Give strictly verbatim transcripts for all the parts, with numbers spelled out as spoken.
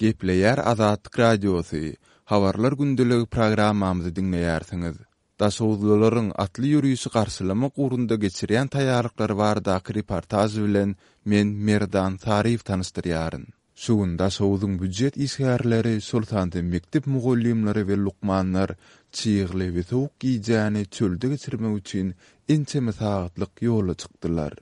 Gepleýär Azatlyk Radiosy, Habarlar gündeligi programmamyzy diňleýärsiňiz. Daşoguzlylaryň atly ýörişi garşylamak ugrunda geçirýän taýýarlyklary baradaky reportaž bilen men Merdan Saryýew tanyşdyrýaryn. Şu gün Daşoguzyň býujet işgärleri, şol sanda mekdep mugallymlary we lukmanlar çygly we sowuk gijäni çölde geçirmek üçin ençeme sagatlyk ýola çykdylar.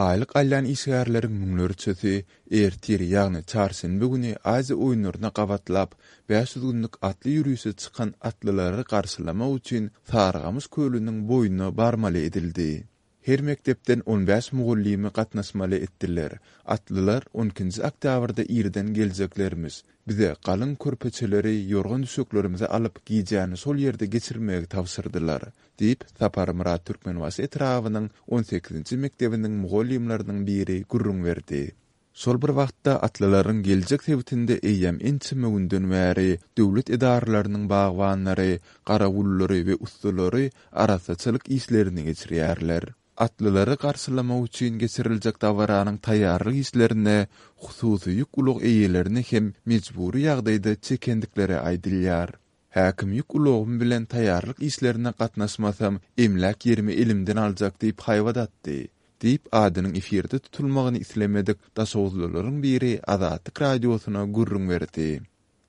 Aýlyk alýan işgärleriň müňlerçesi ertir, ýagny çarşenbe güni Aziýa oýunlaryna gabatlap, bäş ýüz günlük atly ýörişe çykan atlylary garşylamak üçin Sarygamyş kölüniň boýuna barmaly edildi. Her mekdepden on bäş mugallymy gatnaşmaly etdiler. Atlylar on ikinji oktýabrda irden geljeklermiş. Bize galyň körpeçeleri, ýorgan-düşeklerimizi alyp, gijäni şol ýerde geçirmegi tabşyrdylar, diýip, Saparmyrat Türkmenbaşy etrabynyň on sekizinji mekdebiniň mugallymlarynyň biri gürrüň berdi. Şol bir wagtda, atlylaryň geljek sebitinde eýýäm ençeme günden bäri döwlet edaralarynyň bagbanlary, garawullary we ussalary arassaçylyk işlerini geçirýärler. Atlylary garşylamak üçin geçiriljek dabaranyň taýýarlyk işlerine hususy ýük ulag eýelerini hem mejbury ýagdaýda çekendikleri aýdylýar. Häkim ýük ulagym bilen taýýarlyk işlerine gatnaşmasam, emläk ýerimi elimden aljak diýip haýbat atdy, diýip, adynyň efirde tutulmagyny islemedik daşoguzlylaryň biri Azatlyk Radiosyna gürrüň berdi.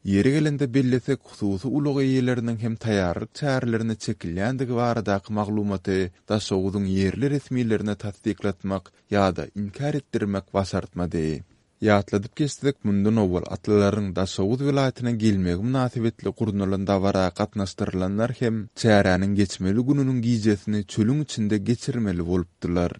Ýeri gelende bellesek, hususy ulag eýeleriniň hem taýýarlyk çärelerine çekilýändigi baradaky maglumaty Daşoguzyň ýerli resmilerine tassyklatmak ýa-da inkär etdirmek başartmady. Ýatladyp geçsek, mundan owal atlylaryň Daşoguz welaýatyna gelmegi mynasybetli gurnalan dabara gatnaşdyrylanlar hem çäräniň geçmeli gününiň gijesini çölüň içinde geçirmeli bolupdylar.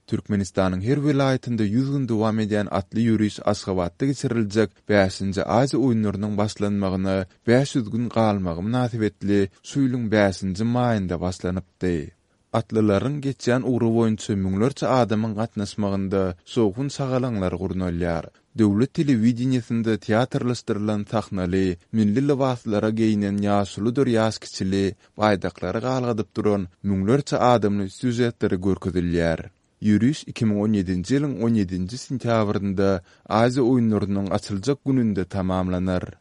Türkmenistanyň her welaýatynda ýüz gün dowam edýän atly ýöriş Aşgabatda geçiriljek bäşinji Aziýa oýunlarynyň başlanmagyna bäş ýüz gün galmagy mynasybetli şu ýylyň bäşinji maýynda başlanypdy. Atlylaryň geçýän ugry boýunça müňlerçe adamyň gatnaşmagynda şowhun-şagalaňlar gurnalýar. Döwlet telewideniýesinde teatrlaşdyrylan sahnaly, milli lybaslara geýnen ýaşuludyr ýaşkiçili, baýdaklary galgadyp duran müňlerçe adamly sýužetleri görkezilýär. Ýöriş iki müň on ýedinji ýylyň on ýedinji sentýabrynda Aziýa oýunlarynyň açyljak gününde tamamlanar.